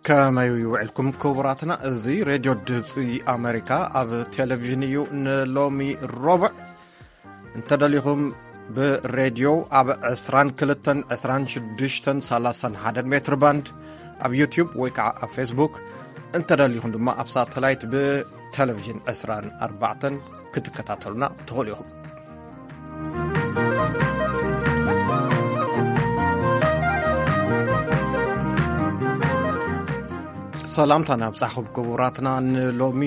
ከመይ ውዕልኩም ክቡራትና? እዚ ሬድዮ ድምፂ ኣሜሪካ ኣብ ቴሌቪዥን እዩ። ንሎሚ ረቡዕ እንተደሊኹም ብሬድዮ ኣብ ዕስራን ክልተን፣ ዕስራን ሽዱሽተን፣ ሰላሳን ሓደን ሜትር ባንድ፣ ኣብ ዩቲዩብ ወይ ከዓ ኣብ ፌስቡክ፣ እንተደሊኹም ድማ ኣብ ሳተላይት ብቴሌቪዥን ዕስራን ኣርባዕተን ክትከታተሉና ትኽእሉ ኢኹም። ሰላምታ ናብጻኹም ክቡራትና። ንሎሚ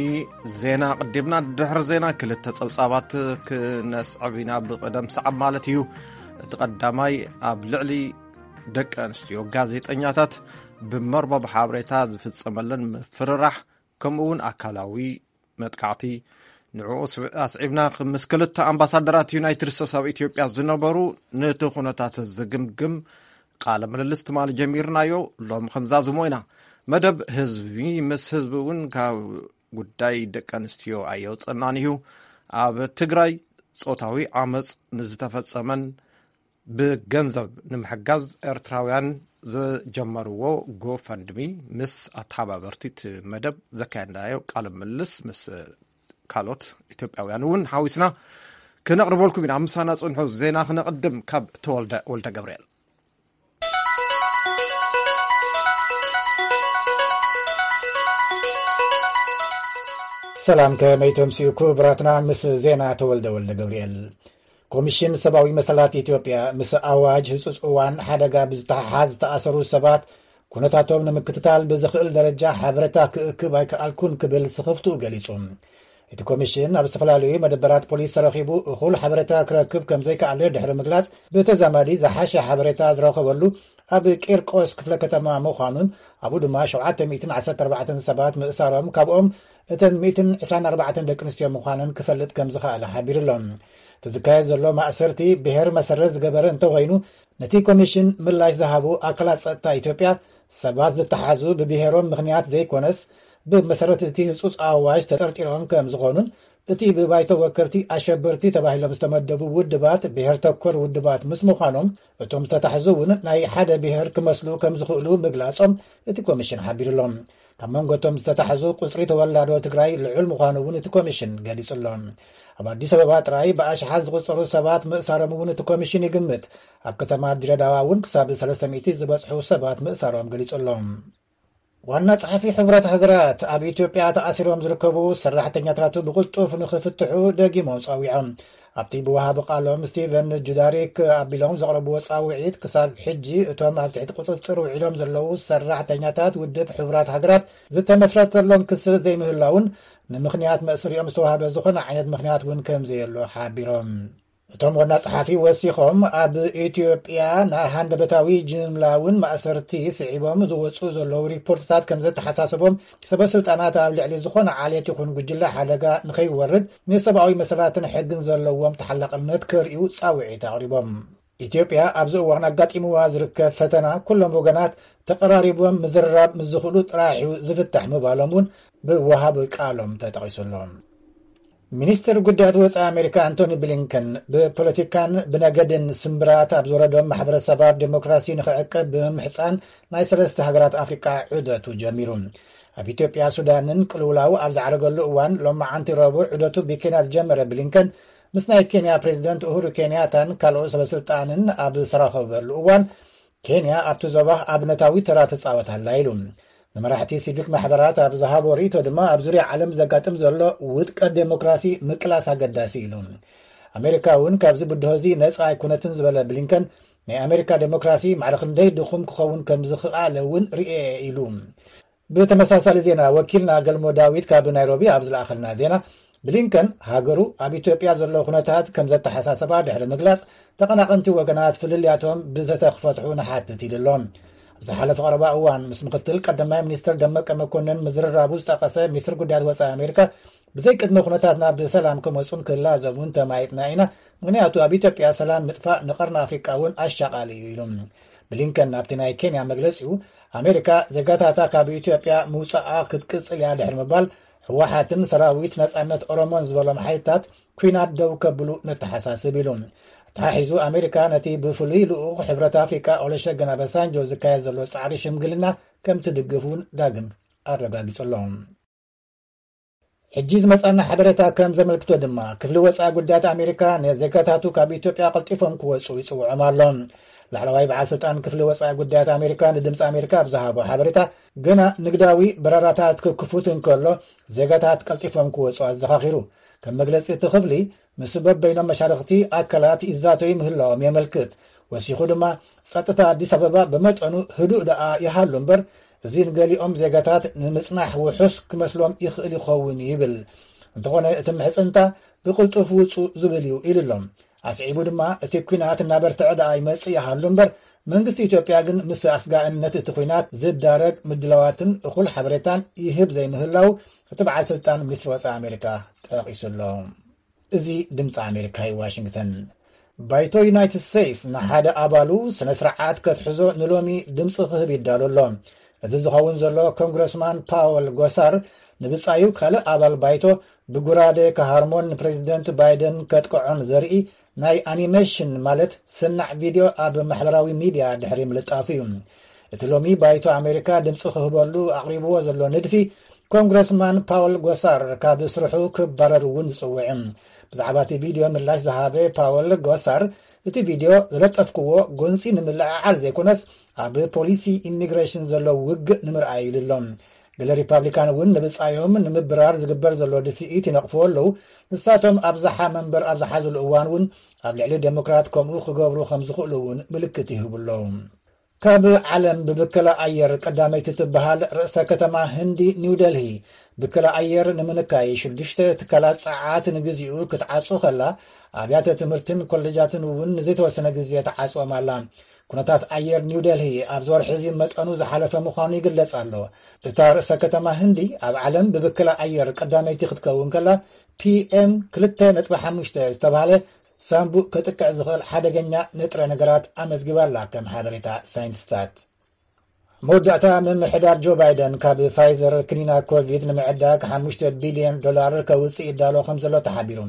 ዜና ቅዲምና፣ ድሕሪ ዜና ክልተ ጸብጻባት ክነስዕብ ኢና፣ ብቕደም ሰዓብ ማለት እዩ። እቲ ቀዳማይ፣ ኣብ ልዕሊ ደቂ ኣንስትዮ ጋዜጠኛታት ብመርበብ ሓበሬታ ዝፍጸመለን ምፍርራሕ፣ ከምኡ እውን ኣካላዊ መጥቃዕቲ፣ ንዕኡ ስብ-፣ ኣስዒብና ምስ ክልተ ኣምባሳደራት ዩናይትድ ስቴትስ ኣብ ኢትዮጵያ ዝነበሩ፣ ነቲ ኩነታት ዝግምግም ቃለ ምልልስ ትማሊ ጀሚርናዮ፣ ሎሚ ክንዛዝሞ ኢና። መደብ ህዝቢ ምስ ህዝቢ እውን ካብ ጉዳይ ደቂ ኣንስትዮ ኣየውፀናን እዩ። ኣብ ትግራይ ጾታዊ ዓመፅ ንዝተፈጸመን ብገንዘብ ንምሕጋዝ ኤርትራውያን ዝጀመርዎ ጎፈንድሚ ምስ ኣተሓባበርቲ እቲ መደብ ዘካየድናዮ ቃለ ምልልስ ምስ ካልኦት ኢትዮጵያውያን እውን ሓዊስና ክነቕርበልኩም ኢና። ምሳና ጽንሑ። ዜና ክነቕድም ካብ ተወልደ ወልደ ገብርኤል። ሰላም፣ ከመይ ተምስዩ ክቡራትና? ምስ ዜና ተወልደ ወልደ ገብርኤል። ኮሚሽን ሰብኣዊ መሰላት ኢትዮጵያ ምስ ኣዋጅ ህጹጽ እዋን ሓደጋ ብዝተሓሓዝ ዝተኣሰሩ ሰባት ኩነታቶም ንምክትታል ብዝኽእል ደረጃ ሓበሬታ ክእክብ ኣይከኣልኩን ክብል ስኽፍትኡ ገሊጹ። እቲ ኮሚሽን ኣብ ዝተፈላለዩ መደበራት ፖሊስ ተረኺቡ እኹል ሓበሬታ ክረክብ ከም ዘይከኣለ ድሕሪ ምግላጽ፣ ብተዛማዲ ዝሓሸ ሓበሬታ ዝረኸበሉ ኣብ ቂርቆስ ክፍለ ከተማ ምዃኑን ኣብኡ ድማ ሸውዓተ ሚእትን ዓሰርተ ኣርባዕተን ሰባት ምእሳሮም፣ ካብኦም እተን ሚእትን ዕስራን ኣርባዕተን ደቂ ኣንስትዮ ምዃነን ክፈልጥ ከም ዝኸኣለ ሓቢሩ ኣሎ። እቲ ዝካየድ ዘሎ ማእሰርቲ ብሄር መሰረት ዝገበረ እንተኾይኑ፣ ነቲ ኮሚሽን ምላሽ ዝሃቡ ኣካላት ጸጥታ ኢትዮጵያ ሰባት ዝተሓዙ ብብሄሮም ምኽንያት ዘይኮነስ ብመሰረት እቲ ህጹጽ ኣዋጅ ተጠርጢሮም ከም ዝኾኑን እቲ ብባይቶ ወከልቲ ኣሸበርቲ ተባሂሎም ዝተመደቡ ውድባት ብሄር ተኮር ውድባት ምስ ምዃኖም እቶም ዝተታሕዙ እውን ናይ ሓደ ብሄር ክመስሉ ከም ዝኽእሉ ምግላጾም እቲ ኮሚሽን ሓቢሩ ኣሎ። ካብ መንጎ እቶም ዝተታሕዙ ቁጽሪ ተወላዶ ትግራይ ልዑል ምዃኑ እውን እቲ ኮሚሽን ገሊጹ ኣሎ። ኣብ ኣዲስ ኣበባ ጥራይ ብኣሽሓት ዝቑጸሩ ሰባት ምእሳሮም እውን እቲ ኮሚሽን ይግምት። ኣብ ከተማ ድሬዳዋ እውን ክሳብ ሰለስተ ሚእቲ ዝበጽሑ ሰባት ምእሳሮም ገሊጹ ኣሎ። ዋና ጸሓፊ ሕቡራት ሃገራት ኣብ ኢትዮጵያ ተኣሲሮም ዝርከቡ ሰራሕተኛታቱ ብቕልጡፍ ንኽፍትሑ ደጊሞም ጸዊዖም። ኣብቲ ብወሃቢ ቃሎም ስቲቨን ጁዳሪክ ኣቢሎም ዘቕረብዎ ጻውዒት፣ ክሳብ ሕጂ እቶም ኣብ ትሕቲ ቁጽጽር ውዒሎም ዘለዉ ሰራሕተኛታት ውድብ ሕቡራት ሃገራት ዝተመስረተሎም ክሲ ዘይምህላውን ንምኽንያት መእሰሪኦም ዝተዋህበ ዝኾነ ዓይነት ምኽንያት እውን ከም ዘየሎ ሓቢሮም። እቶም ዋና ጸሓፊ ወሲኾም፣ ኣብ ኢትዮጵያ ንሃንደበታዊ ጅምላውን ማእሰርቲ ስዒቦም ዝወጹ ዘለዉ ሪፖርትታት ከም ዘተሓሳሰቦም፣ ሰበ ስልጣናት ኣብ ልዕሊ ዝኾነ ዓሌት ይኹን ጉጅለ ሓደጋ ንኸይወርድ ንሰብኣዊ መሰላትን ሕግን ዘለዎም ተሓላቕነት ከርእዩ ጻውዒት ኣቕሪቦም። ኢትዮጵያ ኣብዚ እዋን ኣጋጢምዋ ዝርከብ ፈተና ኩሎም ወገናት ተቐራሪቦም ምዝርራብ ምስ ዝኽእሉ ጥራሕ እዩ ዝፍታሕ ምባሎም እውን ብወሃቢ ቃሎም ተጠቒሱ ኣሎ። ሚኒስትር ጉዳያት ወጻኢ ኣሜሪካ ኣንቶኒ ብሊንከን ብፖለቲካን ብነገድን ስምብራት ኣብ ዝወረዶም ማሕበረሰባት ዴሞክራሲ ንኽዕቀብ ብምምሕጻን ናይ ሰለስተ ሃገራት ኣፍሪቃ ዑደቱ ጀሚሩ። ኣብ ኢትዮጵያ፣ ሱዳንን ቅልውላው ኣብ ዝዓረገሉ እዋን ሎማዓንቲ ረቡዕ ዑደቱ ብኬንያ ዝጀመረ ብሊንከን ምስ ናይ ኬንያ ፕሬዚደንት ኡሁሩ ኬንያታን ካልኦት ሰበስልጣንን ኣብ ዝተራኸበሉ እዋን፣ ኬንያ ኣብቲ ዞባ ኣብነታዊ ተራ ትጻወት ኣላ ኢሉ። ንመራሕቲ ሲቪክ ማሕበራት ኣብ ዝሃቦ ርእይቶ ድማ፣ ኣብ ዙርያ ዓለም ዘጋጥም ዘሎ ውድቀት ዴሞክራሲ ምቅላስ ኣገዳሲ ኢሉ። ኣሜሪካ እውን ካብዚ ብድሆ እዚ ነጻ ኣይኮነትን ዝበለ ብሊንከን፣ ናይ ኣሜሪካ ዴሞክራሲ ማዕረ ክንደይ ድኹም ክኸውን ከም ዝኽኣለ እውን ርእየ ኢሉ። ብተመሳሳሊ ዜና፣ ወኪልና ገልሞ ዳዊት ካብ ናይሮቢ ኣብ ዝለኣኸልና ዜና፣ ብሊንከን ሃገሩ ኣብ ኢትዮጵያ ዘሎ ኩነታት ከም ዘተሓሳሰባ ድሕሪ ምግላጽ፣ ተቐናቐንቲ ወገናት ፍልልያቶም ብዘተ ክፈትሑ ንሓትት ኢሉ ኣሎ። ኣብ ዝሓለፈ ቀረባ እዋን ምስ ምክትል ቀዳማይ ሚኒስትር ደመቀ መኮንን ምዝርራቡ ዝጠቐሰ ሚኒስትር ጉዳያት ወጻኢ ኣሜሪካ፣ ብዘይቅድመ ኩነታት ናብ ሰላም ክመጹን ክላዘቡን ተማይጥና ኢና፣ ምኽንያቱ ኣብ ኢትዮጵያ ሰላም ምጥፋእ ንቀርኒ ኣፍሪቃ እውን ኣሻቓሊ እዩ ኢሉ። ብሊንከን ኣብቲ ናይ ኬንያ መግለጺኡ፣ ኣሜሪካ ዜጋታታ ካብ ኢትዮጵያ ምውፃኣ ክትቅፅል እያ ድሕሪ ምባል፣ ህወሓትን ሰራዊት ነፃነት ኦሮሞን ዝበሎም ሓይልታት ኲናት ደው ከብሉ ነተሓሳስብ ኢሉ። ተሓሒዙ ኣሜሪካ ነቲ ብፍሉይ ልኡኽ ሕብረት ኣፍሪቃ ኦለሸገን ኣበሳንጆ ዝካየድ ዘሎ ፃዕሪ ሽምግልና ከም ትድግፍ እውን ዳግም ኣረጋጊጹ ኣሎ። ሕጂ ዝመጻና ሓበሬታ ከም ዘመልክቶ ድማ፣ ክፍሊ ወጻኢ ጉዳያት ኣሜሪካ ንዜጋታቱ ካብ ኢትዮጵያ ቀልጢፎም ክወጹ ይጽውዖም ኣሎ። ላዕለዋይ በዓል ስልጣን ክፍሊ ወጻኢ ጉዳያት ኣሜሪካ ንድምፂ ኣሜሪካ ኣብ ዝሃቦ ሓበሬታ፣ ገና ንግዳዊ በረራታት ክክፉት እንከሎ፣ ዜጋታት ቀልጢፎም ክወጹ ኣዘኻኺሩ። ከም መግለጺ እቲ ክፍሊ፣ ምስ በበይኖም መሻርኽቲ ኣካላት ይዛተዩ ምህላዎም የመልክት። ወሲኹ ድማ፣ ጸጥታ ኣዲስ ኣበባ ብመጠኑ ህዱእ ደኣ ይሃሉ እምበር፣ እዚ ንገሊኦም ዜጋታት ንምጽናሕ ውሑስ ክመስሎም ይኽእል ይኸውን ይብል። እንተኾነ፣ እቲ ምሕጽንታ ብቕልጡፍ ውጹ ዝብል እዩ ኢሉ ኣሎ። ኣስዒቡ ድማ፣ እቲ ኲናት እናበርትዐ ደኣ ይመጽእ ይሃሉ እምበር፣ መንግስቲ ኢትዮጵያ ግን ምስ ኣስጋእነት እቲ ኲናት ዝዳረግ ምድላዋትን እኹል ሓበሬታን ይህብ ዘይምህላው፣ እቲ በዓል ስልጣን ሚኒስትሪ ወጻኢ ኣሜሪካ ጠቒሱ ኣሎ። እዚ ድምፂ ኣሜሪካ እዩ፣ ዋሽንግተን። ባይቶ ዩናይትድ ስቴትስ ንሓደ ኣባሉ ስነ ስርዓት ከትሕዞ ንሎሚ ድምፂ ክህብ ይዳሎ ኣሎ። እዚ ዝኸውን ዘሎ፣ ኮንግረስማን ፓወል ጎሳር ንብፃዩ ካልእ ኣባል ባይቶ ብጉራደ ክሃርሞን ንፕሬዚደንት ባይደን ከጥቅዖን ዘርኢ ናይ ኣኒሜሽን፣ ማለት ስናዕ ቪድዮ፣ ኣብ ማሕበራዊ ሚድያ ድሕሪ ምልጣፉ እዩ። እቲ ሎሚ ባይቶ ኣሜሪካ ድምፂ ክህበሉ ኣቕሪብዎ ዘሎ ንድፊ፣ ኮንግረስማን ፓወል ጎሳር ካብ ስርሑ ክባረር እውን ዝፅውዕ። ብዛዕባ እቲ ቪድዮ ምላሽ ዝሃበ ፓወል ጎሳር፣ እቲ ቪድዮ ዝለጠፍክዎ ጎንፂ ንምልዕዓል ዘይኮነስ፣ ኣብ ፖሊሲ ኢሚግሬሽን ዘሎ ውግእ ንምርኣይ ኢሉ ኣሎ። ገለ ሪፓብሊካን እውን ንብፃዮም ንምብራር ዝግበር ዘሎ ድፍኢት ይነቕፍዎ ኣለዉ። ንሳቶም ኣብዝሓ መንበር ኣብ ዝሓዝሉ እዋን እውን፣ ኣብ ልዕሊ ዴሞክራት ከምኡ ክገብሩ ከም ዝኽእሉ እውን ምልክት ይህቡ ኣለዉ። ካብ ዓለም ብብከላ ኣየር ቀዳመይቲ ትበሃል ርእሰ ከተማ ህንዲ ኒው ደልሂ፣ ብከላ ኣየር ንምንካይ ሽዱሽተ ትካላት ጸዓት ንግዚኡ ክትዓጹ ከላ፣ ኣብያተ ትምህርትን ኮለጃትን እውን ንዘይተወሰነ ግዜ ተዓጽዎም ኣላ። ኩነታት ኣየር ኒው ደልሂ ኣብዚ ወርሒ እዚ መጠኑ ዝሓለፈ ምዃኑ ይግለጽ ኣሎ። እታ ርእሰ ከተማ ህንዲ፣ ኣብ ዓለም ብብከላ ኣየር ቀዳመይቲ ክትከውን ከላ፣ ፒ ኤም ክልተ ነጥቢ ሓሙሽተ ዝተባህለ ሳምቡእ ከጥቅዕ ዝኽእል ሓደገኛ ንጥረ ነገራት ኣመዝጊባ ኣላ፣ ከም ሓበሬታ ሳይንቲስታት። መወዳእታ፣ ምምሕዳር ጆ ባይደን ካብ ፋይዘር ክኒና ኮቪድ ንምዕዳግ ሓሙሽተ ቢልዮን ዶላር ከውፅእ ይዳሎ ከም ዘሎ ተሓቢሩ።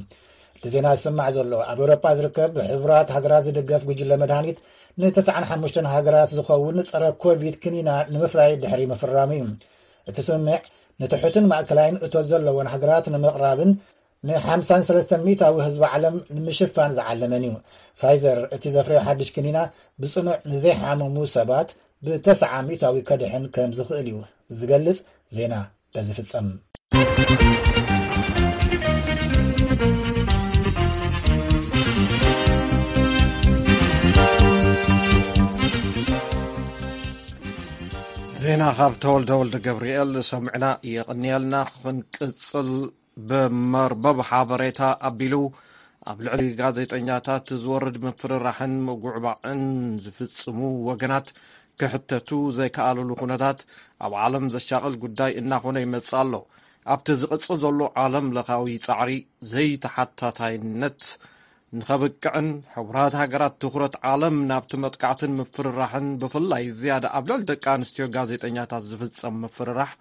እቲ ዜና ዝስማዕ ዘሎ፣ ኣብ ኤውሮጳ ዝርከብ ብሕቡራት ሃገራት ዝድገፍ ጉጅለ መድሃኒት ንተስዓን ሓሙሽተን ሃገራት ዝኸውን ጸረ ኮቪድ ክኒና ንምፍራይ ድሕሪ ምፍራሙ እዩ። እቲ ስምምዕ ንትሑትን ማእከላይን እቶት ዘለወን ሃገራት ንምቕራብን ንሓምሳን ሰለስተን ሚእታዊ ህዝቢ ዓለም ንምሽፋን ዝዓለመን እዩ። ፋይዘር እቲ ዘፍረዮ ሓድሽ ክኒና ብጽኑዕ ንዘይሓመሙ ሰባት ብተስዓ ሚእታዊ ከድሕን ከም ዝኽእል እዩ ዝገልጽ። ዜና በዚ ፍጸም። ዜና ካብ ተወልደ ወልደ ገብርኤል ሰምዕና። የቐንየልና። ክንቅጽል፣ ብመርበብ ሓበሬታ ኣቢሉ ኣብ ልዕሊ ጋዜጠኛታት ዝወርድ ምፍርራሕን ምጉዕባዕን ዝፍጽሙ ወገናት ክሕተቱ ዘይከኣልሉ ኩነታት ኣብ ዓለም ዘሻቕል ጉዳይ እናኾነ ይመጽእ ኣሎ። ኣብቲ ዝቕጽል ዘሎ ዓለም ለኻዊ ጻዕሪ ዘይተሓታታይነት ንኸብቅዕን ሕቡራት ሃገራት ትኹረት ዓለም ናብቲ መጥቃዕትን ምፍርራሕን፣ ብፍላይ ዝያዳ ኣብ ልዕሊ ደቂ ኣንስትዮ ጋዜጠኛታት ዝፍጸም ምፍርራሕ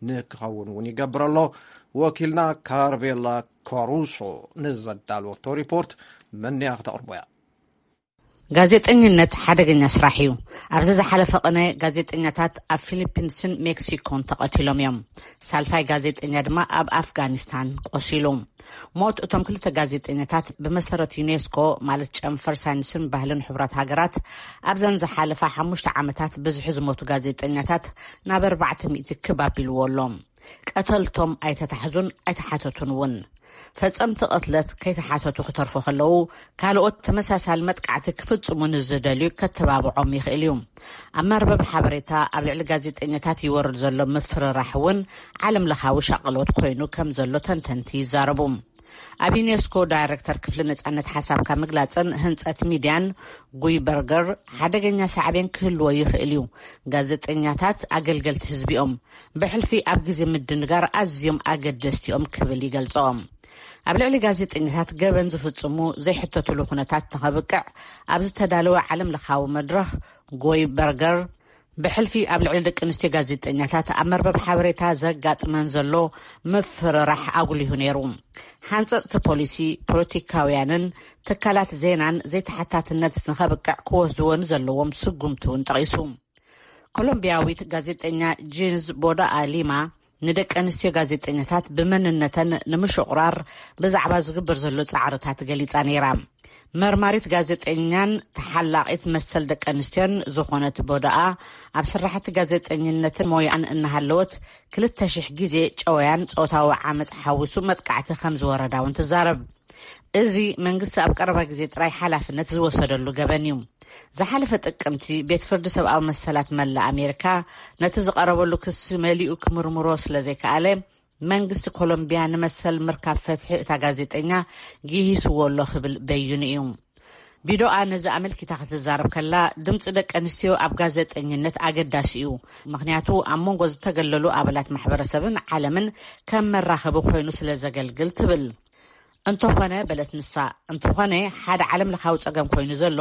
ንክኸውን እውን ይገብር ኣሎ። ወኪልና ካርቤላ ካሩሶ ንዘዳልወቶ ሪፖርት፣ መን እያ ክተቕርቦ እያ። ጋዜጠኝነት ሓደገኛ ስራሕ እዩ። ኣብዚ ዝሓለፈ ቅነ፣ ጋዜጠኛታት ኣብ ፊሊፒንስን ሜክሲኮን ተቐቲሎም እዮም። ሳልሳይ ጋዜጠኛ ድማ ኣብ ኣፍጋኒስታን ቆሲሉ። ሞት እቶም ክልተ ጋዜጠኛታት፣ ብመሰረት ዩኔስኮ፣ ማለት ጨንፈር ሳይንስን ባህልን ሕቡራት ሃገራት፣ ኣብዘን ዝሓለፋ ሓሙሽተ ዓመታት ብዝሒ ዝሞቱ ጋዜጠኛታት ናብ ኣርባዕተ ሚእቲ ክብ ኣቢልዎ ኣሎ። ቀተልቶም ኣይተታሕዙን ኣይተሓተቱን እውን። ፈጸምቲ ቅትለት ከይተሓተቱ ክተርፉ ከለዉ፣ ካልኦት ተመሳሳሊ መጥቃዕቲ ክፍጽሙ ንዝደልዩ ከተባብዖም ይኽእል እዩ። ኣብ መርበብ ሓበሬታ ኣብ ልዕሊ ጋዜጠኛታት ይወርድ ዘሎ ምፍርራሕ እውን ዓለም ለኻዊ ሻቕሎት ኮይኑ ከም ዘሎ ተንተንቲ ይዛረቡ። ኣብ ዩኔስኮ ዳይሬክተር ክፍሊ ነጻነት ሓሳብካ ምግላጽን ህንጸት ሚድያን ጉይ በርገር፣ ሓደገኛ ሳዕቤን ክህልዎ ይኽእል እዩ። ጋዜጠኛታት ኣገልገልቲ ህዝቢ እዮም። ብሕልፊ ኣብ ግዜ ምድንጋር ኣዝዮም ኣገደስቲ እዮም ክብል ይገልጾም። ኣብ ልዕሊ ጋዜጠኛታት ገበን ዝፍጽሙ ዘይሕተትሉ ኩነታት ንኸብቅዕ ኣብ ዝተዳለወ ዓለም ለኻዊ መድረኽ፣ ጎይ በርገር ብሕልፊ ኣብ ልዕሊ ደቂ ኣንስትዮ ጋዜጠኛታት ኣብ መርበብ ሓበሬታ ዘጋጥመን ዘሎ ምፍርራሕ ኣጉሊሁ ነይሩ። ሓንጸጽቲ ፖሊሲ፣ ፖለቲካውያንን ትካላት ዜናን ዘይተሓታትነት ንኸብቅዕ ክወስድዎ ንዘለዎም ስጉምቲ እውን ጠቒሱ። ኮሎምቢያዊት ጋዜጠኛ ጂንዝ ቦዳኣ ሊማ ንደቂ ኣንስትዮ ጋዜጠኛታት ብመንነተን ንምሽቑራር ብዛዕባ ዝግበር ዘሎ ጻዕርታት ገሊጻ ነይራ። መርማሪት ጋዜጠኛን ተሓላቒት መሰል ደቂ ኣንስትዮን ዝኾነት ቦዳኣ፣ ኣብ ስራሕቲ ጋዜጠኝነትን ሞያኣን እናሃለወት ክልተ ሽሕ ግዜ ጨወያን ጾታዊ ዓመጽ ሓዊሱ መጥቃዕቲ ከም ዝወረዳ እውን ትዛረብ። እዚ መንግስቲ ኣብ ቀረባ ግዜ ጥራይ ሓላፍነት ዝወሰደሉ ገበን እዩ። ዝሓለፈ ጥቅምቲ ቤት ፍርዲ ሰብኣዊ መሰላት መላእ ኣሜሪካ ነቲ ዝቐረበሉ ክሲ መሊኡ ክምርምሮ ስለ ዘይከኣለ፣ መንግስቲ ኮሎምቢያ ንመሰል ምርካብ ፍትሒ እታ ጋዜጠኛ ጊሂስዎ ኣሎ ክብል በይኑ እዩ። ቢዶኣ ነዚ ኣመልኪታ ክትዛረብ ከላ፣ ድምፂ ደቂ ኣንስትዮ ኣብ ጋዜጠኝነት ኣገዳሲ እዩ፣ ምኽንያቱ ኣብ መንጎ ዝተገለሉ ኣባላት ማሕበረሰብን ዓለምን ከም መራኸቢ ኮይኑ ስለ ዘገልግል ትብል። እንተኾነ፣ በለት ንሳ፣ እንተኾነ ሓደ ዓለም ለኻዊ ጸገም ኮይኑ ዘሎ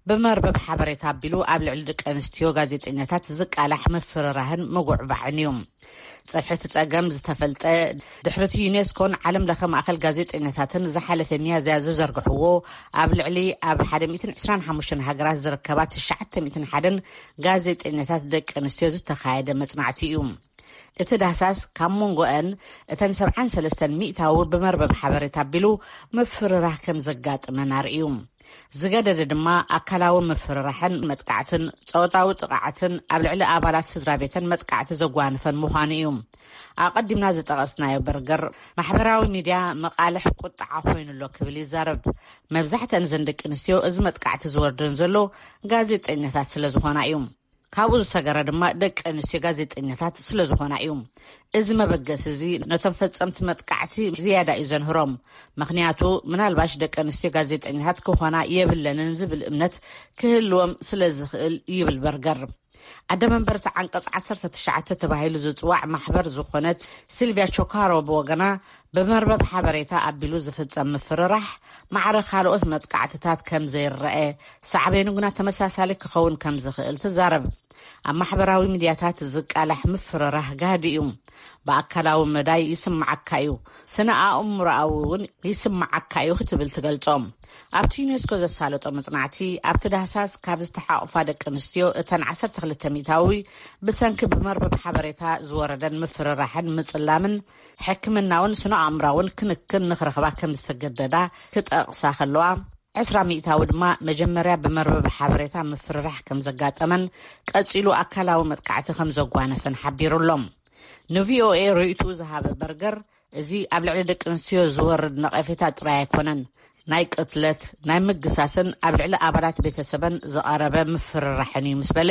ብመርበብ ሓበሬታ ኣቢሉ ኣብ ልዕሊ ደቂ ኣንስትዮ ጋዜጠኛታት ዝቃላሕ ምፍርራህን ምጉዕባዕን እዩ። ጸፍሒ እቲ ጸገም ዝተፈልጠ ድሕሪ እቲ ዩኔስኮን ዓለም ለኸ ማእከል ጋዜጠኛታትን ዝሓለፈ ሚያዝያ ዝዘርግሕዎ ኣብ ልዕሊ ኣብ ሓደ ሚእትን ዕስራን ሓሙሽተን ሃገራት ዝርከባ ትሽዓተ ሚእትን ሓደን ጋዜጠኛታት ደቂ ኣንስትዮ ዝተኻየደ መጽናዕቲ እዩ። እቲ ዳህሳስ ካብ መንጎአን እተን ሰብዓን ሰለስተን ሚእታዊ ብመርበብ ሓበሬታ ኣቢሉ ምፍርራህ ከም ዘጋጥመን ኣርእዩ። ዝገደደ ድማ ኣካላዊ ምፍርራሕን መጥቃዕትን ጾታዊ ጥቓዓትን ኣብ ልዕሊ ኣባላት ስድራ ቤተን መጥቃዕቲ ዘጓነፈን ምዃኑ እዩ። ኣቐዲምና ዝጠቐስናዮ በርገር ማሕበራዊ ሚድያ መቓልሕ ቁጥዓ ኮይኑ ኣሎ ክብል ይዛረብ። መብዛሕተን ዘን ደቂ ኣንስትዮ እዚ መጥቃዕቲ ዝወርደን ዘሎ ጋዜጠኛታት ስለ ዝኾና እዩ። ካብኡ ዝሰገረ ድማ ደቂ ኣንስትዮ ጋዜጠኛታት ስለ ዝኾና እዩ። እዚ መበገሲ እዚ ነቶም ፈጸምቲ መጥቃዕቲ ዝያዳ እዩ ዘንህሮም። ምኽንያቱ ምናልባሽ ደቂ ኣንስትዮ ጋዜጠኛታት ክኾና የብለንን ዝብል እምነት ክህልዎም ስለ ዝኽእል ይብል በርገር። ኣደ መንበርቲ ዓንቀጽ ዓሰርተ ትሽዓተ ተባሂሉ ዝጽዋዕ ማሕበር ዝኾነት ሲልቪያ ቾካሮ ብወገና፣ ብመርበብ ሓበሬታ ኣቢሉ ዝፍጸም ምፍርራሕ ማዕረ ካልኦት መጥቃዕትታት ከም ዘይረአ፣ ሳዕቤኑ ግና ተመሳሳሊ ክኸውን ከም ዝኽእል ትዛረብ። ኣብ ማሕበራዊ ሚድያታት ዝቃላሕ ምፍርራሕ ጋህዲ እዩ። ብኣካላዊ መዳይ ይስምዓካ እዩ፣ ስነ ኣእምሮኣዊ እውን ይስምዓካ እዩ ክትብል ትገልጾ። ኣብቲ ዩኔስኮ ዘሳለጦ መጽናዕቲ፣ ኣብቲ ዳህሳስ ካብ ዝተሓቑፋ ደቂ ኣንስትዮ እተን ዓሰርተ ክልተ ሚእታዊ ብሰንኪ ብመርበብ ሓበሬታ ዝወረደን ምፍርራሕን ምጽላምን ሕክምናውን ስነ ኣእምራውን ክንክን ንኽረኽባ ከም ዝተገደዳ ክጠቕሳ ከለዋ፣ ዕስራ ሚእታዊ ድማ መጀመርያ ብመርበብ ሓበሬታ ምፍርራሕ ከም ዘጋጠመን ቀጺሉ ኣካላዊ መጥቃዕቲ ከም ዘጓነፈን ሓቢሩ ኣሎ። ንቪኦኤ ርእይትኡ ዝሃበ በርገር፣ እዚ ኣብ ልዕሊ ደቂ ኣንስትዮ ዝወርድ ነቐፌታ ጥራይ ኣይኮነን፣ ናይ ቅትለት፣ ናይ ምግሳስን ኣብ ልዕሊ ኣባላት ቤተሰበን ዝቐረበ ምፍርራሕን እዩ ምስ በለ፣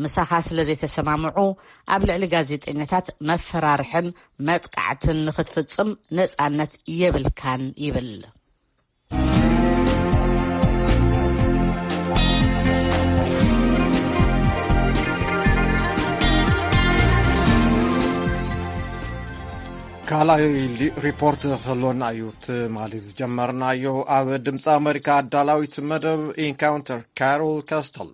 ምሳኻ ስለ ዘይተሰማምዑ ኣብ ልዕሊ ጋዜጠኛታት መፈራርሕን መጥቃዕትን ንኽትፍጽም ነጻነት የብልካን ይብል። ካልኣይ ሊ- ሪፖርት ክህልወና እዩ። ትማሊ ዝጀመርናዮ ኣብ ድምፂ ኣሜሪካ ኣዳላዊት መደብ ኢንካውንተር ካሮል ካስተል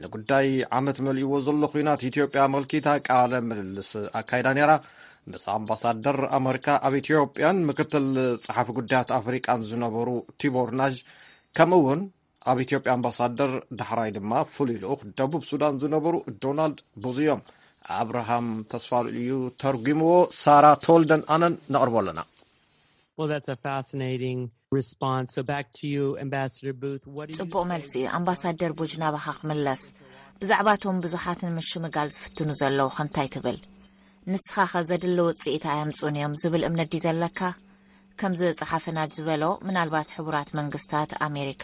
ንጉዳይ ዓመት መሊእዎ ዘሎ ኲናት ኢትዮጵያ ኣመልኪታ ቃለ ምልልስ ኣካይዳ ነይራ። ምስ ኣምባሳደር ኣመሪካ ኣብ ኢትዮጵያን ምክትል ጸሓፊ ጉዳያት ኣፍሪቃን ዝነበሩ ቲቦር ናዥ፣ ከምኡ እውን ኣብ ኢትዮጵያ ኣምባሳደር፣ ዳሕራይ ድማ ፍሉይ ልኡኽ ደቡብ ሱዳን ዝነበሩ ዶናልድ ቡዝ እዮም። ኣብርሃም ተስፋልኡል እዩ ተርጒምዎ። ሳራ ተወልደን ኣነን ነቕርቦ ኣለና። Well, that's a fascinating response. So back to you, Ambassador Booth. What do you ጽቡቕ say መልሲ እዩ። ኣምባሳደር ቡጅ፣ ናባኻ ክምለስ። ብዛዕባቶም ብዙሓት ንምሽምጋል ዝፍትኑ ዘለዉ ከ እንታይ ትብል? ንስኻ ኸ ዘድሊ ውጽኢት ኣየምጹን እዮም ዝብል እምነት ድዩ ዘለካ? ከምዚ ጸሓፊ ናጅ ዝበሎ፣ ምናልባት ሕቡራት መንግስታት ኣሜሪካ፣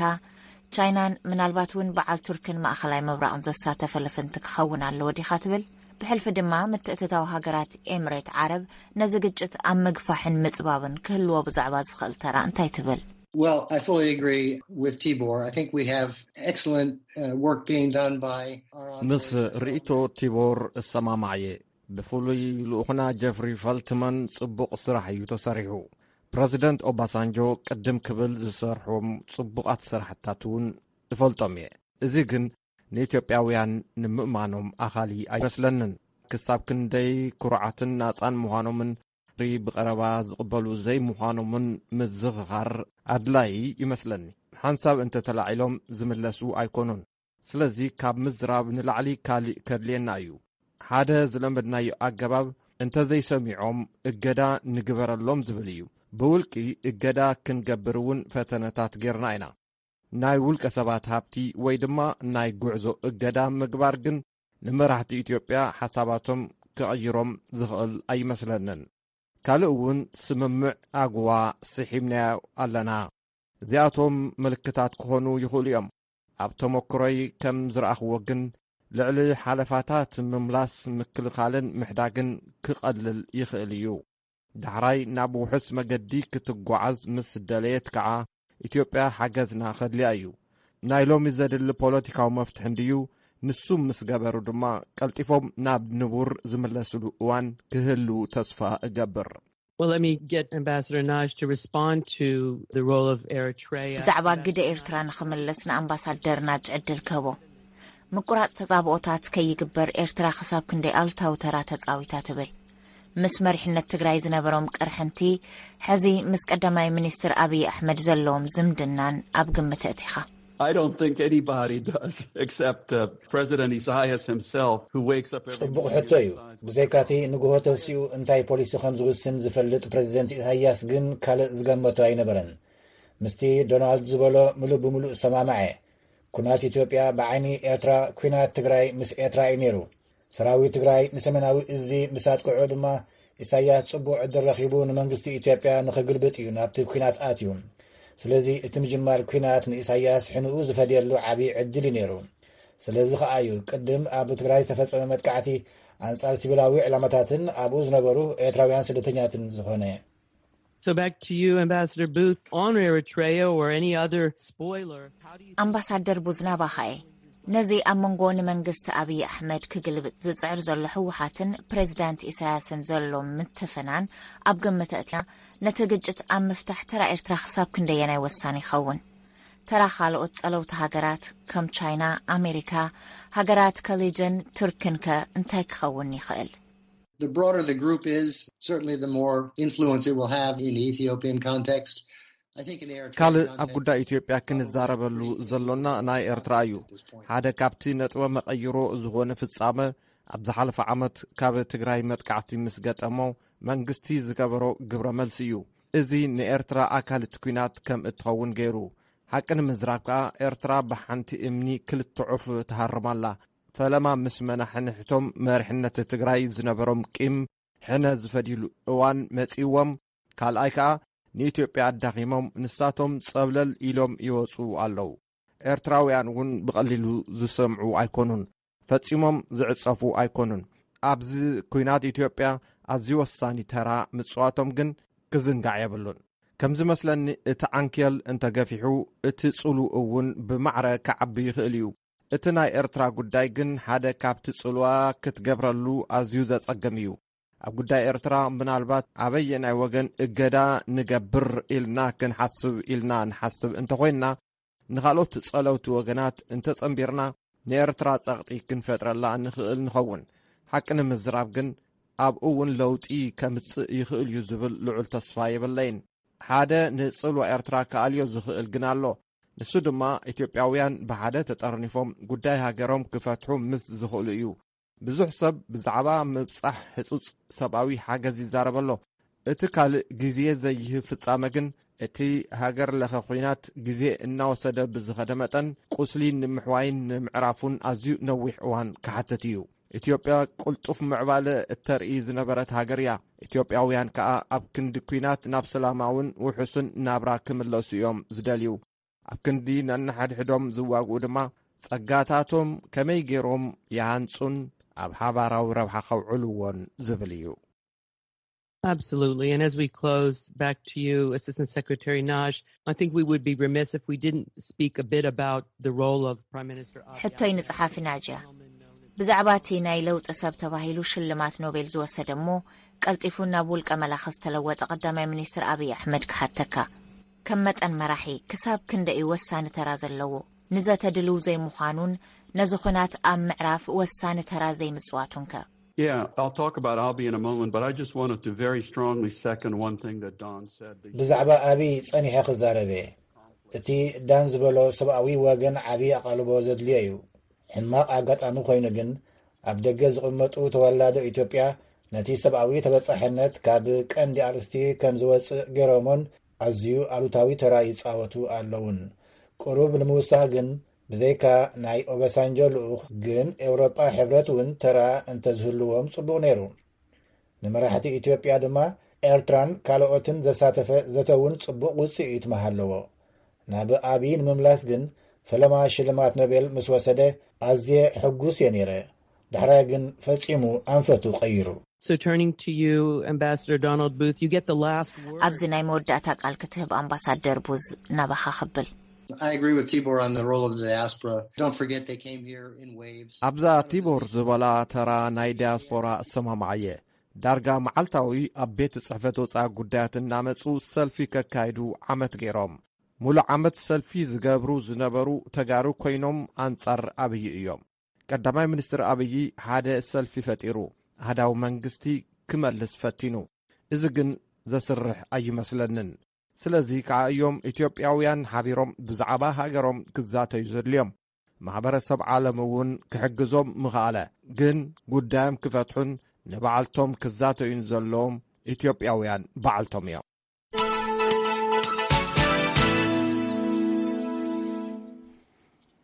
ቻይናን ምናልባት እውን በዓል ቱርክን ማእኸላይ ምብራቕን ዘሳተፈ ልፍንቲ ክኸውን ኣለዎ ዲኻ ትብል? ብሕልፊ ድማ ምትእትታው ሃገራት ኤምሬት ዓረብ ነዚ ግጭት ኣብ ምግፋሕን ምጽባብን ክህልዎ ብዛዕባ ዝኽእል ተራ እንታይ ትብል? Well, I fully agree with Tibor. I think we have excellent uh, work being done by our ምስ envoy. ርእይቶ ቲቦር እሰማማዕ እየ። ብፍሉይ ልኡኽና ጀፍሪ ፈልትመን ጽቡቕ ስራሕ እዩ ተሰሪሑ። ፕረዚደንት ኦባሳንጆ ቅድም ክብል ዝሰርሖም ጽቡቓት ስራሕታት እውን እፈልጦም እየ። እዚ ግን ንኢትዮጵያውያን ንምእማኖም ኣኻሊ ኣይመስለንን። ክሳብ ክንደይ ኩሩዓትን ናጻን ምዃኖምን ብቐረባ ዝቕበሉ ዘይምዃኖምን ምዝኽኻር ኣድላዪ ይመስለኒ። ሓንሳብ እንተተላዒሎም ዝምለሱ ኣይኮኑን። ስለዚ ካብ ምዝራብ ንላዕሊ ካልእ ከድልየና እዩ። ሓደ ዝለመድናዮ ኣገባብ እንተዘይሰሚዖም እገዳ ንግበረሎም ዝብል እዩ። ብውልቂ እገዳ ክንገብር እውን ፈተነታት ጌርና ኢና። ናይ ውልቀ ሰባት ሃብቲ ወይ ድማ ናይ ጉዕዞ እገዳ ምግባር ግን ንመራሕቲ ኢትዮጵያ ሓሳባቶም ክቕይሮም ዝኽእል ኣይመስለንን። ካልእ እውን ስምምዕ ኣግዋ ስሒብናዮ ኣለና። እዚኣቶም ምልክታት ክኾኑ ይኽእሉ እዮም። ኣብ ተመክሮይ ከም ዝረኣኽዎ ግን ልዕሊ ሓለፋታት ምምላስ ምክልኻልን ምሕዳግን ክቐልል ይኽእል እዩ። ዳሕራይ ናብ ውሑስ መገዲ ክትጓዓዝ ምስ ደለየት ከዓ ኢትዮጵያ ሓገዝና ከድልያ እዩ። ናይ ሎሚ ዘድሊ ፖለቲካዊ መፍትሒ እንድዩ። ንሱ ምስ ገበሩ ድማ ቀልጢፎም ናብ ንቡር ዝምለስሉ እዋን ክህሉ ተስፋ እገብር። Well, let me get Ambassador Naj to respond to the role of Eritrea. ብዛዕባ ግደ ኤርትራ ንኽምለስ ንኣምባሳደር ናጅ ዕድል ክህቦ። ምቁራጽ ተጻብኦታት ከይግበር ኤርትራ ክሳብ ክንደይ ኣሉታዊ ተራ ተጻዊታ ትብል? ምስ መሪሕነት ትግራይ ዝነበሮም ቅርሕንቲ፣ ሕዚ ምስ ቀዳማይ ሚኒስትር ኣብይ ኣሕመድ ዘለዎም ዝምድናን ኣብ ግምት እቲኻ? I don't think anybody does except uh, President Isaias himself, who wakes up every ጽቡቕ ሕቶ እዩ። ብዘይካቲ ንግሆ ተሲኡ እንታይ ፖሊሲ ከም ዝውስን ዝፈልጥ ፕሬዚደንት ኢሳያስ ግን ካልእ ዝገመቶ ኣይነበረን። ምስቲ ዶናልድ ዝበሎ ምሉእ ብምሉእ ሰማማዐ። ኩናት ኢትዮጵያ ብዓይኒ ኤርትራ፣ ኩናት ትግራይ ምስ ኤርትራ እዩ ነይሩ። ሰራዊት ትግራይ ንሰሜናዊ እዚ ምስ ኣጥቅዑ ድማ ኢሳያስ ጽቡቕ ዕድል ረኺቡ ንመንግስቲ ኢትዮጵያ ንኽግልብጥ እዩ ናብቲ ኩናት ኣትዩ። ስለዚ እቲ ምጅማር ኩናት ንኢሳያስ ሕንኡ ዝፈድየሉ ዓብዪ ዕድል እዩ ነይሩ። ስለዚ ከኣ እዩ ቅድም ኣብ ትግራይ ዝተፈጸመ መጥቃዕቲ ኣንጻር ሲቪላዊ ዕላማታትን ኣብኡ ዝነበሩ ኤርትራውያን ስደተኛትን ዝኾነ። So back to you, Ambassador Booth, on Eritrea or any other spoiler, how do you ኣምባሳደር ቡዝ ናባኻ እየ። ነዚ ኣብ መንጎ ንመንግስቲ ኣብይ ኣሕመድ ክግልብጥ ዝጽዕር ዘሎ ህወሓትን ፕሬዚዳንት ኢሳያስን ዘሎ ምትፍናን ኣብ ግምት ኣእቲና፣ ነቲ ግጭት ኣብ ምፍታሕ ተራ ኤርትራ ክሳብ ክንደየናይ ወሳኒ ይኸውን? ተራ ካልኦት ጸለውቲ ሃገራት ከም ቻይና፣ ኣሜሪካ፣ ሃገራት ከሊጅን ቱርክን ከ እንታይ ክኸውን ይኽእል? The broader the group is, certainly the more influence it will have in the Ethiopian context. I think in the Eritrean ካልእ ኣብ context, ጉዳይ ኢትዮጵያ ክንዛረበሉ ዘሎና ናይ ኤርትራ እዩ። ሓደ ካብቲ ነጥበ መቐይሮ ዝኾነ ፍጻመ፣ ኣብ ዝሓለፈ ዓመት ካብ ትግራይ መጥቃዕቲ ምስ ገጠሞ መንግስቲ ዝገበሮ ግብረ መልሲ እዩ። እዚ ንኤርትራ ኣካል እቲ ኲናት ከም እትኸውን ገይሩ። ሓቂ ንምዝራብ ከኣ ኤርትራ ብሓንቲ እምኒ ክልተ ዑፍ ትሃርም ኣላ። ፈለማ ምስ መናሕንሕቶም መሪሕነት ትግራይ ዝነበሮም ቂም ሕነ ዝፈድይሉ እዋን መጺእዎም፣ ካልኣይ ከኣ ንኢትዮጵያ ኣዳኺሞም ንሳቶም ጸብለል ኢሎም ይወጹ ኣለዉ። ኤርትራውያን እውን ብቐሊሉ ዝሰምዑ ኣይኮኑን፣ ፈጺሞም ዝዕጸፉ ኣይኮኑን። ኣብዚ ኲናት ኢትዮጵያ ኣዝዩ ወሳኒ ተራ ምጽዋቶም ግን ክዝንጋዕ የብሉን። ከም ዝመስለኒ እቲ ዓንኬል እንተገፊሑ እቲ ጽሉ እውን ብማዕረ ክዓቢ ይኽእል እዩ። እቲ ናይ ኤርትራ ጉዳይ ግን ሓደ ካብቲ ጽልዋ ክትገብረሉ ኣዝዩ ዘጸግም እዩ። ኣብ ጉዳይ ኤርትራ ምናልባት ኣበየናይ ወገን እገዳ ንገብር ኢልና ክንሓስብ ኢልና ንሓስብ እንተኾይንና፣ ንኻልኦት ጸለውቲ ወገናት እንተጸንቢርና ንኤርትራ ጸቕጢ ክንፈጥረላ ንኽእል ንኸውን። ሓቂ ንምዝራብ ግን ኣብኡ እውን ለውጢ ከምጽእ ይኽእል እዩ ዝብል ልዑል ተስፋ የብለይን። ሓደ ንጽልዋ ኤርትራ ክኣልዮ ዝኽእል ግን ኣሎ። ንሱ ድማ ኢትዮጵያውያን ብሓደ ተጠርኒፎም ጉዳይ ሃገሮም ክፈትሑ ምስ ዝኽእሉ እዩ። ብዙሕ ሰብ ብዛዕባ ምብጻሕ ህጹጽ ሰብኣዊ ሓገዝ ይዛረብ ኣሎ። እቲ ካልእ ግዜ ዘይህብ ፍጻመ ግን እቲ ሃገር ለኸ ኲናት ግዜ እናወሰደ ብዝኸደ መጠን ቁስሊ ንምሕዋይን ንምዕራፉን ኣዝዩ ነዊሕ እዋን ክሓትት እዩ። ኢትዮጵያ ቅልጡፍ ምዕባለ እተርኢ ዝነበረት ሃገር እያ። ኢትዮጵያውያን ከኣ ኣብ ክንዲ ኲናት ናብ ሰላማውን ውሑስን ናብራ ክምለሱ እዮም ዝደልዩ። ኣብ ክንዲ ነንሓድሕዶም ዝዋግኡ ድማ ጸጋታቶም ከመይ ገይሮም ይሃንጹን ኣብ ሓባራዊ ረብሓ ከውዕልዎን ዝብል እዩ። Absolutely. And as we close, back to you, Assistant Secretary Naj, I think we would be remiss if we didn't speak a bit about the role of Prime Minister Abiy. ሕቶይ ንጸሓፊ ናጅያ። ብዛዕባ እቲ ናይ ለውጢ ሰብ ተባሂሉ ሽልማት ኖቤል ዝወሰደ እሞ ቀልጢፉ ናብ ውልቀ መላኺ ዝተለወጠ ቀዳማይ ሚኒስትር ኣብይ ኣሕመድ ክሓተካ። ከም መጠን መራሒ ክሳብ ክንደይ እዩ ወሳኒ ተራ ዘለዎ? ንዘተ ድልው ዘይምዃኑን ነዚ ኹናት ኣብ ምዕራፍ ወሳኒ ተራ ዘይምጽዋቱንከ? Yeah, I'll talk about Abiy in a moment, but I just wanted to very strongly second one thing that Don said. ብዛዕባ ኣቢይ ጸኒሐ ክዛረብ እየ። እቲ ዳን ዝበሎ ሰብኣዊ ወገን ዓቢ ኣቓልቦ ዘድልዮ እዩ። ሕማቕ ኣጋጣሚ ኮይኑ ግን፣ ኣብ ደገ ዝቕመጡ ተወላዶ ኢትዮጵያ ነቲ ሰብኣዊ ተበጻሕነት ካብ ቀንዲ ኣርእስቲ ከም ዝወጽእ ገይሮሞን ኣዝዩ ኣሉታዊ ተራ ይጻወቱ ኣለውን። ቅሩብ ንምውሳኽ ግን፣ ብዘይካ ናይ ኦባሳንጆ ልኡኽ ግን ኤውሮጳ ሕብረት እውን ተራ እንተዝህልዎም ጽቡቕ ነይሩ። ንመራሕቲ ኢትዮጵያ ድማ ኤርትራን ካልኦትን ዘሳተፈ ዘተ እውን ጽቡቕ ውጽኢት ምሃለዎ። ናብ ኣቢይ ንምምላስ ግን፣ ፈለማ ሽልማት ኖቤል ምስ ወሰደ ኣዝየ ሕጉስ እየ ነይረ። ዳሕራይ ግን ፈጺሙ ኣንፈቱ ቀይሩ። So turning to you, Ambassador Donald Booth, you get the last word. ኣብዚ ናይ መወዳእታ ቃል ክትህብ ኣምባሳደር ቡዝ ናባኻ ክብል። I agree with Tibor on the role of the diaspora. Don't forget they came here in waves. ኣብዛ ቲቦር ዝበላ ተራ ናይ ዲያስፖራ እሰማማዓየ። ዳርጋ መዓልታዊ ኣብ ቤት ጽሕፈት ወጻኢ ጉዳያት እናመጹ ሰልፊ ከካይዱ ዓመት ገይሮም። ሙሉእ ዓመት ሰልፊ ዝገብሩ ዝነበሩ ተጋሩ ኮይኖም ኣንጻር ኣብይ እዮም። ቀዳማይ ሚኒስትር ኣብይ ሓደ ሰልፊ ፈጢሩ ኣህዳዊ መንግስቲ ክመልስ ፈቲኑ። እዚ ግን ዘስርሕ ኣይመስለንን። ስለዚ ከዓ እዮም ኢትዮጵያውያን ሓቢሮም ብዛዕባ ሃገሮም ክዛተዩ ዘድልዮም። ማሕበረሰብ ዓለም እውን ክሕግዞም ምኽኣለ። ግን ጉዳዮም ክፈትሑን ንባዕልቶም ክዛተዩን ዘለዎም ኢትዮጵያውያን ባዕልቶም እዮም።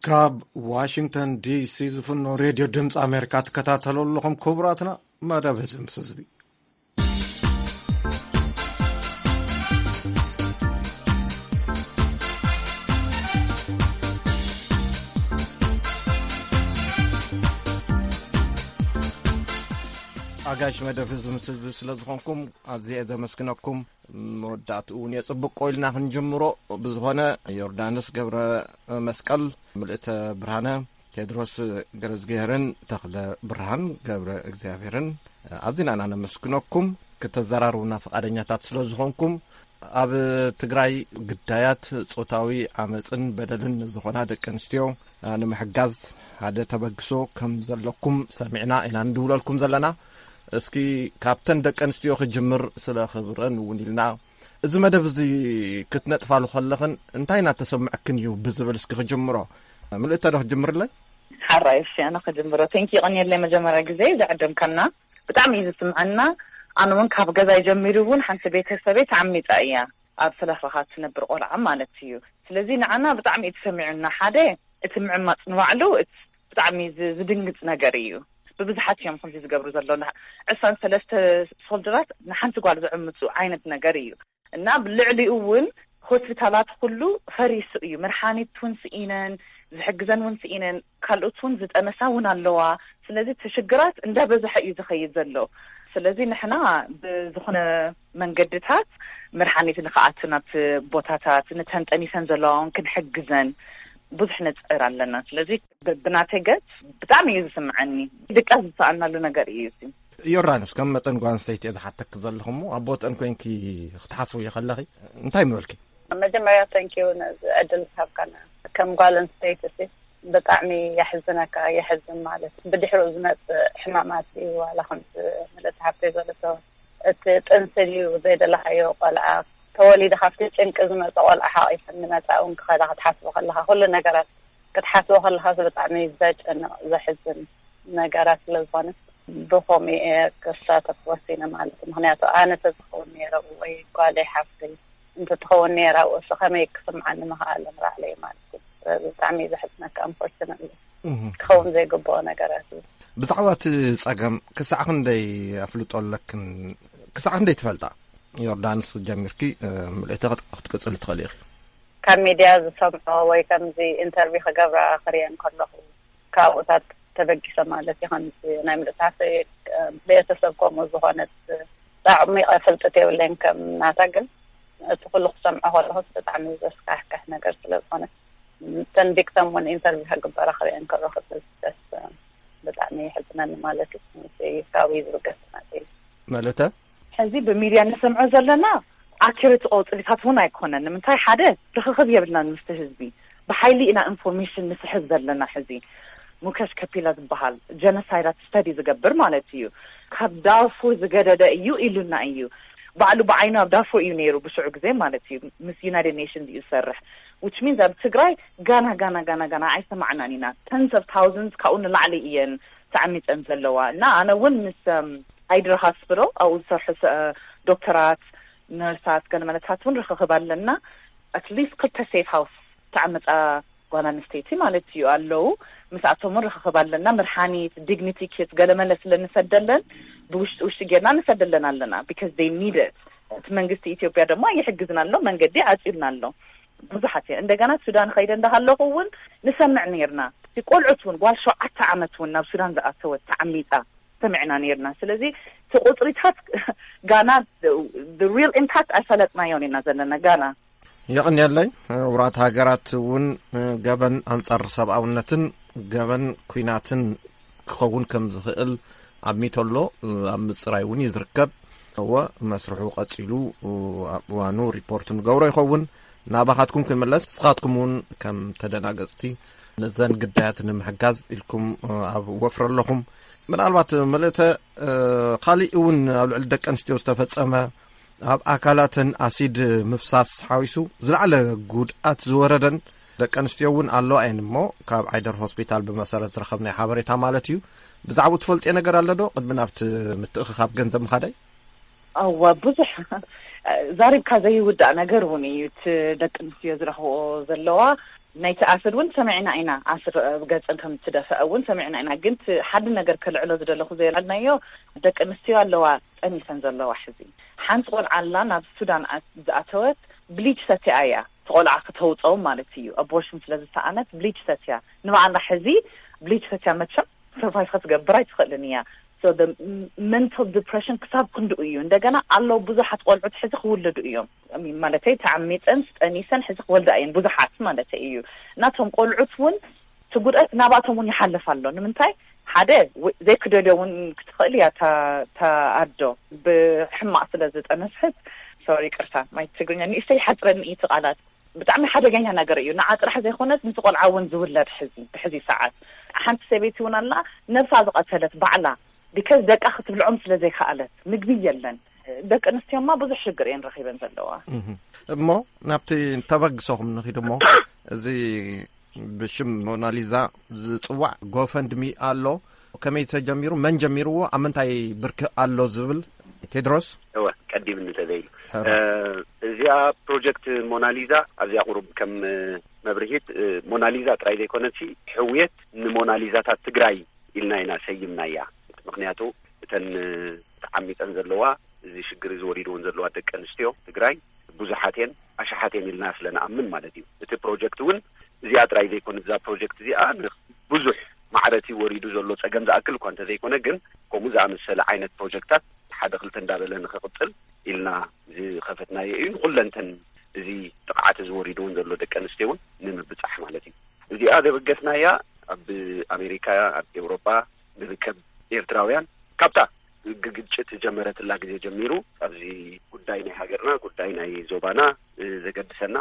ካብ ዋሽንግተን ዲሲ ዝፍኖ ሬድዮ ድምፂ ኣሜሪካ ትከታተሉ ኣለኹም። ክቡራትና፣ መደብ ህዝቢ ምስ ህዝቢ። ኣጋሽ መደብ ህዝቢ ምስ ህዝቢ ስለ ዝኾንኩም ኣዝየ ዘመስግነኩም። መወዳእትኡ እውን የጽብቆ ኢልና ክንጅምሮ። ብዝኾነ፣ ዮርዳኖስ ገብረ መስቀል፣ ምልእተ ብርሃነ፣ ቴድሮስ ገረዝግሄርን ተኽለ ብርሃን ገብረ እግዚኣብሔርን ኣዚና ኢና ነመስግነኩም፣ ክተዘራርቡና ፍቓደኛታት ስለ ዝኾንኩም። ኣብ ትግራይ ግዳያት ጾታዊ ዓመፅን በደልን ዝኾና ደቂ ኣንስትዮ ንምሕጋዝ ሓደ ተበግሶ ከም ዘለኩም ሰሚዕና ኢና ንድውለልኩም ዘለና። እስኪ ካብተን ደቂ ኣንስትዮ ክጅምር፣ ስለ ክብረን እውን ኢልና። እዚ መደብ እዚ ክትነጥፋሉ ከለኽን እንታይ እናተሰምዐክን እዩ ብዝብል እስኪ ክጅምሮ። ምልእተ ዶ ክጅምርለይ? ሓራይ፣ እሺ፣ ኣነ ክጅምሮ። ቴንኪ፣ ይቐንየለይ መጀመርያ ግዜ ዝዕደምካና። ብጣዕሚ እዩ ዝስምዐና። ኣነ እውን ካብ ገዛይ ጀሚሩ እውን ሓንቲ ቤተሰበይ ተዓሚፃ እያ፣ ኣብ ሰለፋኻ ትነብር ቆልዓ ማለት እዩ። ስለዚ ንዓና ብጣዕሚ እዩ ተሰሚዑና። ሓደ፣ እቲ ምዕማፅ ንባዕሉ እቲ ብጣዕሚ ዝ-፣ ዝድንግፅ ነገር እዩ። ብብዝሓት እዮም ከምዚ ዝገብሩ ዘለዉ። ዕስራን ሰለስተ ሶልደራት ንሓንቲ ጓል ዝዕምፁ ዓይነት ነገር እዩ። እና ብልዕሊኡ እውን ሆስፒታላት ኩሉ ፈሪሱ እዩ። መድሓኒት እውን ስኢነን፣ ዝሕግዘን እውን ስኢነን፣ ካልኦት እውን ዝጠነሳ እውን ኣለዋ። ስለዚ እቲ ሽግራት እንዳበዝሐ እዩ ዝኸይድ ዘሎ። ስለዚ ንሕና ብዝኾነ መንገድታት መድሓኒት ንክኣቱ ናብቲ ቦታታት፣ ነተን ጠኒሰን ዘለዋ እውን ክንሕግዘን ብዙሕ ንፅዕር ኣለና። ስለዚ ብ-፣ ብናተይ ገፅ ብጣዕሚ እዩ ዝስምዐኒ። ድቃስ ዝሰኣናሉ ነገር እዩ እዚ። ዮርዳኖስ፣ ከም መጠን ጓል ኣንስተይቲ እየ ዝሓተኪ ዘለኹ እሞ፣ ኣብ ቦተን ኮይንኪ ክትሓስብዮ ከለኺ እንታይ ምበልኪ? መጀመርያ፣ ተንኪዩ ነዚ ዕድል ዝሃብካና። ከም ጓል ኣንስተይቲ ሲ ብጣዕሚ የሕዝነካ፣ የሕዝን ማለት ብድሕሪኡ ዝመፅእ ሕማማት እዩ። ዋላ ከምዚ ምልእቲ ሓብተይ ዘለቶ፣ እቲ ጥንሲ ድዩ ዘይደለኻዮ ቆልዓ፣ ተወሊዱ ካብቲ ጭንቂ ዝመፀ ቆልዓ ሓቒፈን ንመፃ እውን ክኸዳ ክትሓስቦ ከለኻ፣ ኩሉ ነገራት ክትሓስቦ ከለኻ ብጣዕሚ ዘጨንቕ፣ ዘሕዝን ነገራት ስለ ዝኾነ፣ ብኸምኡ እየ ክሳተፍ ወሲነ ማለት እዩ። ምኽንያቱ ኣነ ተዝኸውን ነይረ ወይ ጓለይ ሓፍተይ እንተትኸውን ነይራ፣ እሱ ከመይ ክስምዓኒ ምኽኣለ ንባዕለይ ማለት እዩ። ስለዚ ብጣዕሚ እዩ ዘሕዝነካ፣ unfortunately። እህ። ክኸውን ዘይግብኦ ነገራት እዩ። ብዛዕባ እቲ ጸገም ክሳዕ ክንደይ ኣፍልጦ ኣለክን? ክሳዕ ክንደይ ትፈልጣ? ዮርዳንስ ጀሚርኪ፣ እ፣ ምልእቲ ክት-፣ ክትቅጽሊ ትኽእሊ ኢኺ። ካብ ሚድያ ዝሰምዖ ወይ ከምዚ ኢንተርቪው ክገብራ ክርእየን ከለኹ፣ ካብኡታት ተበጊሰ ማለት እዩ። ከምዚ ናይ ምልእቲ ሓፍተይ፣ እ፣ ቤተሰብ ከምኡ ዝኾነት ኣዕሚቐ ፍልጠት የብለይን ከም ናታ፣ ግን እቲ ኩሉ ክሰምዖ ከለኹ ብጣዕሚ ዘስካሕክሕ ነገር ስለ ዝኾነ፣ እተን ቪክተም እውን ኢንተርቪው ክግበራ ክርእየን ከለኹ ደስ፣ ብጣዕሚ የሕዝነኒ ማለት እዩ። ምስዚ ካብኡ እዩ ዝብገስ ማለት እዩ። ምልእተ? ሕዚ ብሚድያ ንሰምዖ ዘለና ኣኪሬት ቆፅሊታት እውን ኣይኮነን። ንምንታይ? ሓደ፣ ርኽኽብ የብልናን ምስቲ ህዝቢ። ብሓይሊ ኢና ኢንፎርሜሽን ንስሕብ ዘለና ሕዚ። ሙከሽ ከፒላ ዝበሃል ጀኖሳይዳት ስተዲ ዝገብር ማለት እዩ። ካብ ዳርፉር ዝገደደ እዩ ኢሉና እዩ። ባዕሉ ብዓይኑ ኣብ ዳርፉር እዩ ነይሩ ብሽዑ ግዜ ማለት እዩ፣ ምስ ዩናይትድ ኔሽንስ እዩ ዝሰርሕ። Which means ኣብ ትግራይ ጋና ጋና ጋና ጋና ኣይሰማዕናን ኢና። Tens of thousands ካብኡ ንላዕሊ እየን ተዓሚፀን ዘለዋ። እና ኣነ እውን ምስ ኣይድር ሃስፒታል ኣብኡ ዝሰርሑ ዶክተራት፣ ነርሳት፣ ገለመለታት እውን ርክክብ ኣለና። At least ክልተ ሴፍ ሃውስ ተዓመፃ ጓል ኣንስተይቲ ማለት እዩ ኣለዉ። ምስኣቶም እውን ርክክብ ኣለና። መድሓኒት፣ ዲግኒቲ ኪት፣ ገለመለ ስለ ንሰደለን ብውሽጢ ውሽጢ ጌርና ንሰደለን ኣለና። Because they need it። እቲ መንግስቲ ኢትዮጵያ ድማ ይሕግዝና ኣሎ፣ መንገዲ ዓፂልና ኣሎ። ብዙሓት እየ እንደገና ሱዳን ኸይደ እንዳሃለኹ እውን ንሰምዕ ነርና። እቲ ቆልዑት እውን ጓል ሸውዓተ ዓመት እውን ናብ ሱዳን ዝኣተወት ተዓሚፃ ሰሚዕና ነርና። ስለዚ እቲ ቁፅሪታት ጋና real impact ኣይፈለጥናዮን ኢና ዘለና ጋና። የቐንየለይ። ውራት ሃገራት እውን ገበን ኣንጻር ሰብኣውነትን ገበን ኩናትን ክኸውን ከም ዝኽእል ኣብ ሚቶሎ ኣብ ምጽራይ እውን እዩ ዝርከብ። እወ፣ መስርሑ ቀጺሉ ኣብ እዋኑ ሪፖርት ንገብሮ ይኸውን። ናባኻትኩም ክንምለስ፣ ንስኻትኩም እውን ከም ተደናገጽቲ ነዘን ግዳያት ንምሕጋዝ ኢልኩም ኣብ ወፍሪ ኣለኹም። ምናልባት ምልእተ፣ ካልእ እውን ኣብ ልዕሊ ደቂ ኣንስትዮ ዝተፈጸመ፣ ኣብ ኣካላተን ኣሲድ ምፍሳስ ሓዊሱ ዝለዓለ ጉድኣት ዝወረደን ደቂ ኣንስትዮ እውን ኣለዋ እየን። እሞ ካብ ዓይደር ሆስፒታል ብመሰረት ዝረኸብናዮ ሓበሬታ ማለት እዩ። ብዛዕባኡ ትፈልጥዮ ነገር ኣሎ ዶ? ቅድሚ ናብቲ ምትእኽኻብ ገንዘብ ምኻደይ። እዋ፣ ብዙሕ ዛሪብካ ዘይውዳእ ነገር እውን እዩ። እቲ ደቂ ኣንስትዮ ዝረኽብኦ ዘለዋ ናይቲ ኣስድ እውን ሰሚዕና ኢና። ኣስድ ኣብ ገፀን ከም እትደፍአ እውን ሰሚዕና ኢና። ግን እቲ ሓደ ነገር ከልዕሎ ዝደለኹ ዘየልዓልናዮ፣ ደቂ ኣንስትዮ ኣለዋ ጠኒሰን ዘለዋ። ሕዚ ሓንቲ ቆልዓ ኣላ ናብ ሱዳን ኣ- ዝኣተወት፣ ብሊች ሰትያ እያ። እቲ ቆልዓ ክተውፀው ማለት እዩ። ኣቦርሽን ስለ ዝሰኣነት ብሊች ሰትያ፣ ንባዕላ ሕዚ ብሊች ሰትያ መቸም ሰርቫይቭ ክትገብር ኣይትኽእልን እያ። So the mental depression ክሳብ ክንድኡ እዩ። እንደገና ኣለዉ ብዙሓት ቆልዑት ሕዚ ክውለዱ እዮም። ማለተይ ተዓሚፀን ጠኒሰን ሕዚ ክወልዳ እየን ብዙሓት ማለተይ እዩ። ናቶም ቆልዑት እውን እቲ ጉድኣት ናባቶም እውን ይሓልፍ ኣሎ። ንምንታይ? ሓደ፣ ዘይክደልዮ እውን ክትኽእል እያ እታ ኣዶ፣ ብሕማቕ ስለ ዝጠነስሕት። ሶሪ፣ ይቅርታ፣ ማይ ትግርኛ ንእሽተይ ይሓፅረኒ እዩ እቲ ቃላት። ብጣዕሚ ሓደገኛ ነገር እዩ። ንዓ ጥራሕ ዘይኮነስ ምስ ቆልዓ እውን ዝውለድ ሕዚ ብሕዚ ሰዓት ሓንቲ ሰበይቲ እውን ኣላ፣ ነብሳ ዝቐተለት ባዕላ፣ ቢካዝ ደቃ ክትብልዖም ስለ ዘይከኣለት፣ ምግቢ የለን። ደቂ ኣንስትዮማ ብዙሕ ሽግር እየን ረኺበን ዘለዋ። እሞ ናብቲ ተበግሶኹም ንኺድ እሞ፣ እዚ ብሽም ሞናሊዛ ዝጽዋዕ ጎፈንድሚ ኣሎ። ከመይ ተጀሚሩ? መን ጀሚርዎ? ኣብ ምንታይ ብርኪ ኣሎ ዝብል? ቴድሮስ? እወ፣ ቀዲምኒ ተዘይሉ። እዚኣ ፕሮጀክት ሞናሊዛ ኣብዚኣ ቁሩብ ከም መብርሂት፣ ሞናሊዛ ጥራይ ዘይኮነሲ፣ ሕውየት ንሞናሊዛታት ትግራይ ኢልና ኢና ሰይምናያ። ምክንያቱ እተን ተዓሚፀን ዘለዋ፣ እዚ ሽግር እዚ ወሪድወን ዘለዋ ደቂ ኣንስትዮ ትግራይ ብዙሓት እየን፣ ኣሽሓት እየን ኢልና ስለ ንኣምን ማለት እዩ። እቲ ፕሮጀክት እውን እዚኣ ጥራይ ዘይኮነ፣ እዛ ፕሮጀክት እዚኣ ብዙሕ ማዕረቲ ወሪዱ ዘሎ ፀገም ዝኣክል እኳ እንተዘይኮነ፣ ግን ከምኡ ዝኣመሰለ ዓይነት ፕሮጀክታት ሓደ ክልተ እንዳበለ ንክቕፅል ኢልና ዝኸፈትናዮ እዩ። ንኩለንተን እዚ ጥቕዓት እዚ ወሪድውን ዘሎ ደቂ ኣንስትዮ እውን ንምብፃሕ ማለት እዩ። እዚኣ ዘበገስናያ ኣብ ኣሜሪካ፣ ኣብ ኤውሮጳ ንርከብ ኤርትራውያን፣ ካብታ ግግጭት ዝጀመረትላ ግዜ ጀሚሩ ኣብዚ ጉዳይ ናይ ሃገርና፣ ጉዳይ ናይ ዞባና ዘገድሰና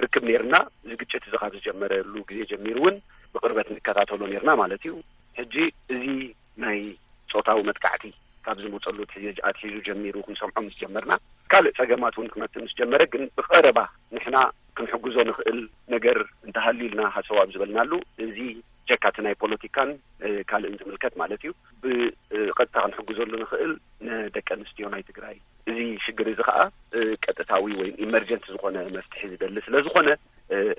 ርክብ ነርና። እዚ ግጭት እዚ ካብ ዝጀመረሉ ግዜ ጀሚሩ እውን ብቕርበት ንከታተሎ ነርና ማለት እዩ። ሕጂ እዚ ናይ ፆታዊ መጥቃዕቲ ካብ ዝመፀሉ ኣትሒዙ ጀሚሩ ክንሰምዖ ምስ ጀመርና፣ ካልእ ፀገማት እውን ክመፅእ ምስ ጀመረ፣ ግን ብቐረባ ንሕና ክንሕግዞ ንኽእል ነገር እንተሃልዩ ኢልና ሃሰው ኣብ ዝበልናሉ፣ እዚ ጀካ እቲ ናይ ፖለቲካን ካልእን ዝምልከት ማለት እዩ፣ ብቐጥታ ክንሕግዘሉ ንኽእል ንደቂ ኣንስትዮ ናይ ትግራይ። እዚ ሽግር እዚ ከዓ ቀጥታዊ ወይ ኢመርጀንት ዝኾነ መፍትሒ ዝደሊ ስለ ዝኾነ፣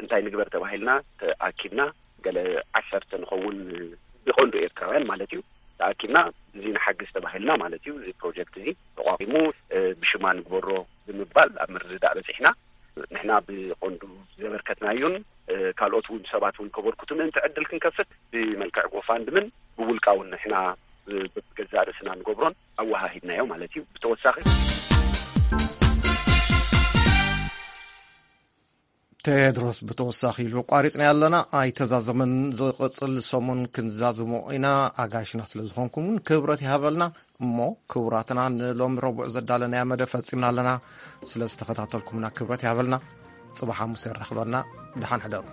እንታይ ንግበር ተባሂልና ተኣኪብና፣ ገለ ዓሰርተ ንኸውን፣ ብቐንዱ ኤርትራውያን ማለት እዩ፣ ተኣኪብና እዚ ንሓግዝ ተባሂልና ማለት እዩ። እዚ ፕሮጀክት እዚ ተቋቂሙ ብሽማ ንግበሮ ብምባል ኣብ ምርድዳእ በፂሕና። ንሕና ብቐንዱ ዘበርከትናዩን ካልኦት እውን ሰባት እውን ከበርክቱ ምእንቲ ዕድል ክንከፍት ብመልክዕ ጎፋንድምን ብውልቃ እውን ንሕና ብገዛእ ርእስና ንገብሮን ኣወሃሂድናዮ ማለት እዩ። ብተወሳኺ ቴድሮስ ብተወሳኺ ኢሉ፣ ቋሪፅና ኣለና ኣይተዛዘመን፣ ዝቕፅል ሰሙን ክንዛዝሞ ኢና። ኣጋይሽና ስለ ዝኾንኩም እውን ክብረት ይሃበልና። እሞ ክቡራትና፣ ንሎሚ ረቡዕ ዘዳለናያ መደብ ፈፂምና ኣለና። ስለ ዝተኸታተልኩምና ክብረት ይሃበልና። ፅባሕ ሓሙስ የራኽበና። ደሓን ሕደሩ።